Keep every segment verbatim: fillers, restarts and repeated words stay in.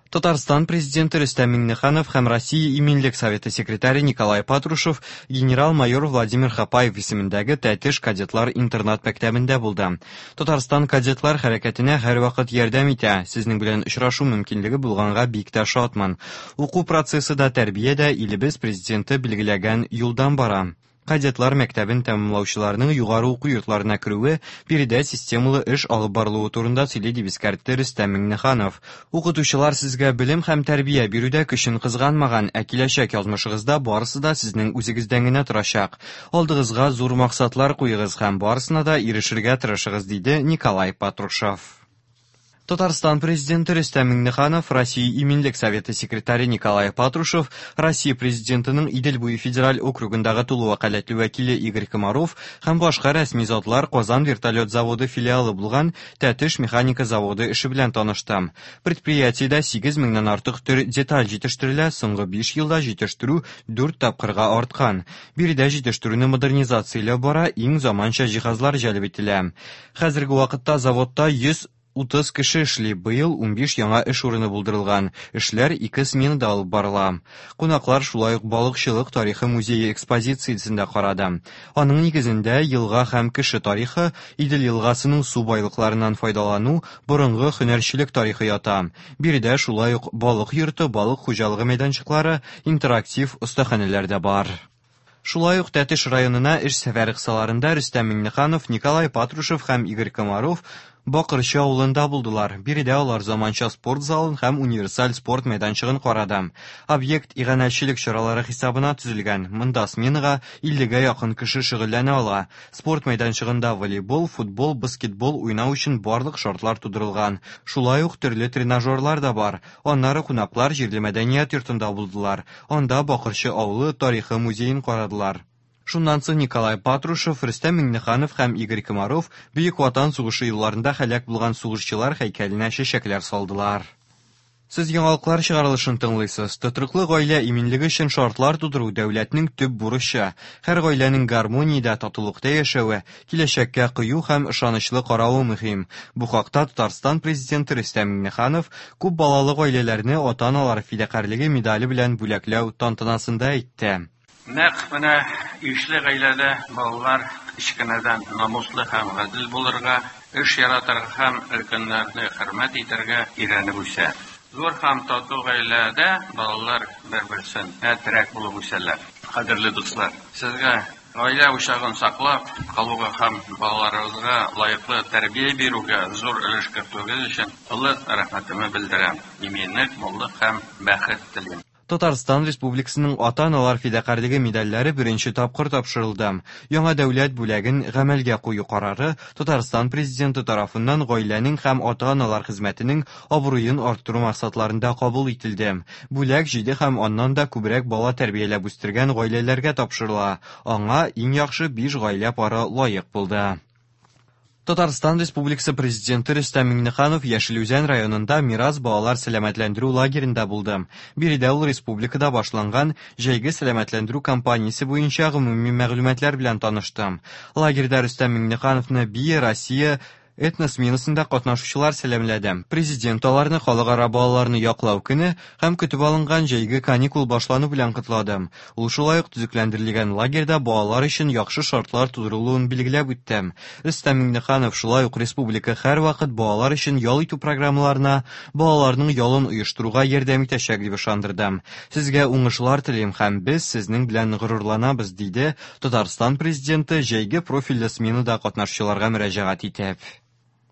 Татарстан президенты Рөстәм Миңнеханов һәм Россия Иминлек советы секретаре Николай Патрушев генерал-майор Владимир Хапаев исемендәге Тәтеш кадетлар интернат мәктәбендә булды. Татарстан кадетлар хәрәкәтенә һәрвакыт ярдәм итә. Сезнең белән очрашу мөмкинлеге булганга бик тә шатмын. Уку процессы да, тәрбия дә илебез президенты билгеләгән юлдан бара. Кадетлар мәктәбен тәмамлаучыларның югары уку йортларына керүе биредә системалы эш алып барылуы турында сөйли, дип искәртте Рөстәм Миңнеханов. Укытучылар сезгә белем һәм тәрбия бирүдә көчен кызганмаган, ә киләчәк язмышыгызда барысы да сезнең үзегездән генә торачак. Алдыгызга зур максатлар куегыз һәм барысына да ирешергә тырышыгыз, диде Николай Патрушев. Татарстан президенты Рөстәм Миңнеханов, Россия Иминлек советы секретаре Николай Патрушев, Россия президентының Идел буе федераль округындагы тулы вәкаләтле вәкиле Игорь Комаров һәм башка рәсми затлар Казан вертолет заводы филиалы булган Тәтеш механика заводы эше белән танышты. Предприятиедә сигез меңнән артык төр деталь җитештерелә, соңгы биш елда җитештерү дүрт тапкырга арткан. Биредә җитештерүне модернизацияләү бара, иң заманча җиһазлар җәлеп ителә. Хәзерге вакытта заводта йөз утыз кеше эшли, быел унбиш яңа эш урыны булдырылган. Эшләр ике сменада алып барыла. Кунаклар шулай ук балыкчылык тарихы музее экспозициясен дә карады. Аның нигезендә елга һәм кеше тарихы, Идел елгасының су байлыкларыннан файдалану, борынгы һөнәрчелек тарихы ята. Биредә шулай ук балык йорты, балык хуҗалыгы мәйданчыклары, интерактив остаханәләр дә бар. Шулай ук Тәтеш районына эш сәфәре кысаларында Рөстәм Миңнеханов, Николай Патрушев һәм Игорь Комаров Бакырчы авылында булдылар. Биредә алар заманча спорт залын һәм универсаль спорт мәйданчыгын карады. Объект иганәчелек чаралары хисабына төзелгән. Монда сменага иллегә якын кеше шөгыльләнә ала. Спорт мәйданчыгында волейбол, футбол, баскетбол уйнау өчен барлык шартлар тудырылган. Шулай ук төрле тренажерлар да бар. Аннары кунаклар җирле мәдәният йортында булдылар. Анда Бакырчы авылы тарихы музеен карадылар. Шуннан соң Николай Патрушев, Рөстәм Миңнеханов һәм Игорь Комаров Бөек Ватан сугышы елларында һәлак булган сугышчылар һәйкәленә чәчәкләр салдылар. Сез яңалыклар чыгарылышын тыңлыйсыз. Тотрыклы гаилә иминлеге өчен шартлар тудыру дәүләтнең төп бурычы. Һәр гаиләнең гармониядә, татулыкта яшәве, киләчәккә кыю һәм ышанычлы каравы мөһим. Бу хакта Татарстан президенты Рөстәм Миңнеханов күп балалы гаиләләрне ата-аналар фидакарьлеге медале белән бүләкләү тантанасында әйтте. Нәкъ менә ишле гаиләдә балалар кечкенәдән намуслы һәм гадел булырга, эш яратырга һәм өлкәннәрне хөрмәт итәргә өйрәнеп үсә. Зур һәм тату гаиләдә балалар бер-берсенә терәк булып үсәләр. Кадерле дуслар, сезгә гаилә учагын саклап калуга һәм балаларыгызга лаеклы тәрбия бирүгә зур өлеш кертүегез өчен олы рәхмәтемне белдерәм. Иминлек, муллык һәм бәхет телим. Татарстан Республикасының ата-аналар фидакарьлеге медальләре беренче тапкыр тапшырылды. Яңа дәүләт бүләген гамәлгә кую карары Татарстан президенты тарафыннан гаиләнең һәм ата-аналар хезмәтенең абруен арттыру максатларында кабул ителде. Бүләк җиде һәм аннан да күбрәк бала тәрбияләп үстергән гаиләләргә тапшырыла. Аңа иң яхшы биш гаилә пары лаек булды. Татарстан Республикасы президенты Рөстәм Миңнеханов Яшел Үзән районында Мирас балалар сәламәтләндерү лагеренда булды. Биредә ул республикада башланган җәйге сәламәтләндерү кампаниясе буенча гомуми мәгълүматлар белән танышты. Лагерьда Рөстәм Миңнехановны Бия Россия этносменасында катнашучылар сәламләде. Президент аларны халыкара балаларны яклау көне һәм көтеп алынган җәйге каникул башлану белән котлады. Ул шулай ук төзекләндерелгән лагерьда балалар өчен яхшы шартлар тудырылуын билгеләп үтте. Рөстәм Миңнеханов шулай ук республика һәрвакыт балалар өчен ял итү программаларына, балаларның ялын оештыруга ярдәм итәчәк дип ышандырды. Сезгә уңышлар телим һәм без сезнең белән горурланабыз, диде Татарстан президенты җәйге профильле сменада катнашучыларга мөрәҗәгать итеп.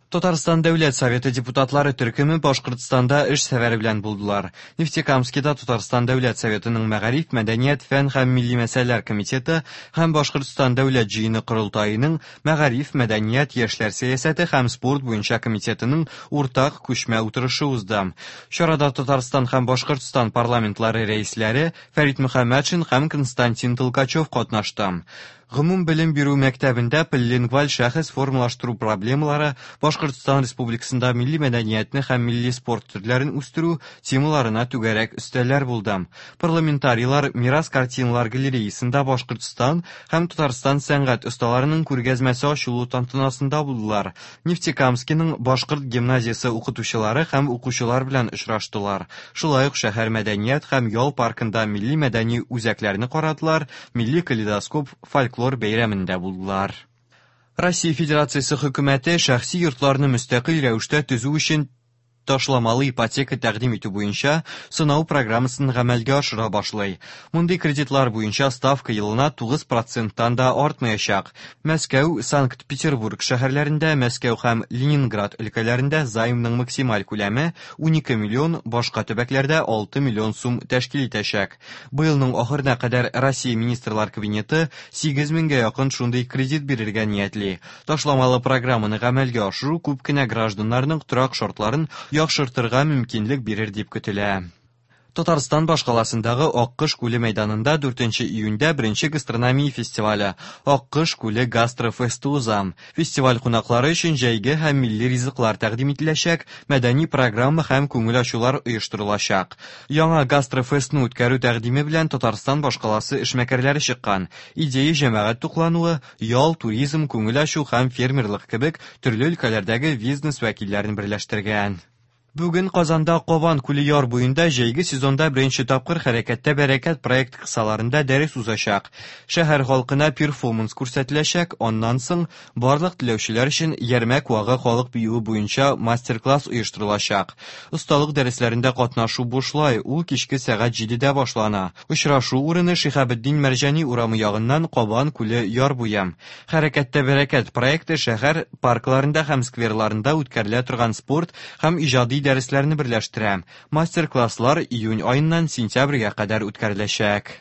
Татарстан Дәүләт Советы депутатлары төркеме Башкортстанда эш сәфәре белән булдылар. Нефтекамскида Татарстан Дәүләт Советының Мәгариф, Мәдәният, Фән һәм Милли мәсьәләләр комитеты һәм Башкортстан Дәүләт җыены корылтаеның Мәгариф, Мәдәният, Яшьләр сәясәте һәм спорт буенча комитетының уртак күчмә утырышы узды. Чарада Татарстан һәм Башкортстан парламентлары рәисләре Фәрит Мөхәммәтшин һәм Константин Толкачев катнашты. Гомум белем бирү мәктәбендә полилингваль шәхес формалаштыру проблемалары, Башкортстан Республикасында милли мәдәниятне һәм милли спорт төрләрен үстерү темаларына түгәрәк өстәлләр булды. Парламентарийлар Мирас картиналар галереясында Башкортстан һәм Татарстан сәнгать осталарының күргәзмәсе ачылу тантанасында булдылар. Нефтекамскиның башкорт гимназиясе укытучылары һәм укучылар белән очраштылар. Шулай ук шәһәр мәдәният һәм ял паркында милли мәдәни үзәкләрне карадылар, милли калейдоскоп фольклор бәйрәмендә булдылар. Россия Федерациясе хөкүмәте шәхси йортларны мөстәкыйль рәвештә төзү өчен ташламалы ипотека тәкъдим итү буенча сынау программасын гамәлгә ашыра башлый. Мондый кредитлар буенча ставка елына тугыз проценттан да артмаячак. Мәскәү, Санкт-Петербург шәһәрләрендә, Мәскәү һәм Ленинград өлкәләрендә займның максималь күләме унике миллион, башка төбәкләрдә алты миллион сум тәшкил итәчәк. Быелның ахырына кадәр Россия Министрлар Кабинеты сигез меңгә якын шундый кредит бирергә ниятли. Ташламалы программаны гамәлгә ашыру күп кенә гражданнарның торак шартларын яхшыртырга мөмкинлек бирер дип көтелә. Татарстан башкаласындагы Аккош күле мәйданында дүртенче июньдә беренче гастрономия фестивале Аккош күле гастрофесты уза. Фестиваль кунаклары өчен җәйге һәм милли ризыклар тәкъдим ителәчәк, мәдәни программа һәм күңел ачулар оештырылачак. Яңа гастрофестны үткәрү тәкъдиме белән Татарстан башкаласы эшмәкәрләре чыккан. Идея җәмәгать туклануы, ял, туризм, күңел ачу һәм фермерлык кебек төрле өлкәләрдәге бизнес вәкилләрен берләштергән. Бүген Казанда Кабан күле яр буенда җәйге сезонда беренче тапкыр Хәрәкәттә бәрәкәт проект кысаларында дәрес узачак. Шәһәр халкына перформанс күрсәтеләчәк, аннан соң барлык теләүчеләр өчен Ярмәк вагы халык биюе буенча мастер-класс оештырылачак. Осталык дәресләрендә катнашу бушлай, ул кичке сәгать җидедә башлана. Очрашу урыны Шиһабетдин Мәрҗани урамы ягыннан Кабан күле яр буе. Хәрәкәттә бәрәкәт проекты шәһәр паркларында һәм скверларында үткәрелә торган спорт һәм иҗади дәресләрне берләштерә. Мастер-класслар июнь аеннан сентябрьгә кадәр үткәреләчәк.